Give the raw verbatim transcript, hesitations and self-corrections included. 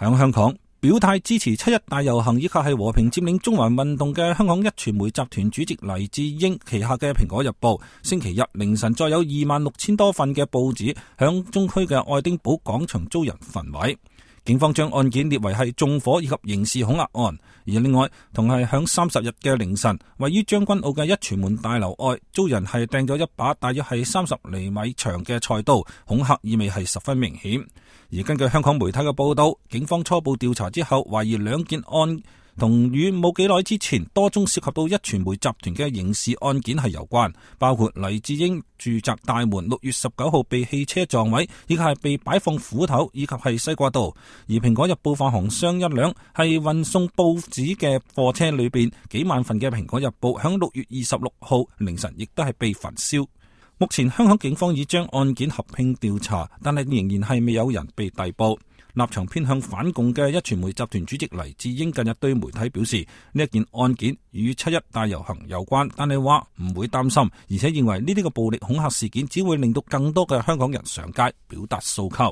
響香港表態支持七一大遊行以及係和平佔領中環運動嘅香港一傳媒集團主席黎智英旗下嘅蘋果日報，星期日凌晨再有二萬六千多份嘅報紙響中區嘅愛丁堡廣場遭人焚毀。警方將案件列為係縱火以及刑事恐嚇案，而另外同係響三十日嘅凌晨，位於將軍澳嘅一傳媒大樓外遭人係掟咗一把大約係三十厘米長嘅菜刀，恐嚇意味係十分明顯。而根據香港媒體嘅報道，警方初步調查之後，懷疑兩件案同與冇幾耐之前多宗涉及到一傳媒集團嘅刑事案件係有關，包括黎智英住宅大門六月十九號被汽車撞毀，以及係被擺放斧頭以及係西瓜刀。而蘋果日報發行商一輛係運送報紙嘅貨車裏邊幾萬份嘅蘋果日報，響六月二十六號凌晨亦都係被焚燒。目前香港警方已將案件合併調查，但係仍然係未有人被逮捕。立場偏向反共嘅一傳媒集團主席黎智英近日對媒體表示，呢一件案件與七一大遊行有關，但係話唔會擔心，而且認為呢啲個暴力恐嚇事件只會令到更多嘅香港人上街表達訴求。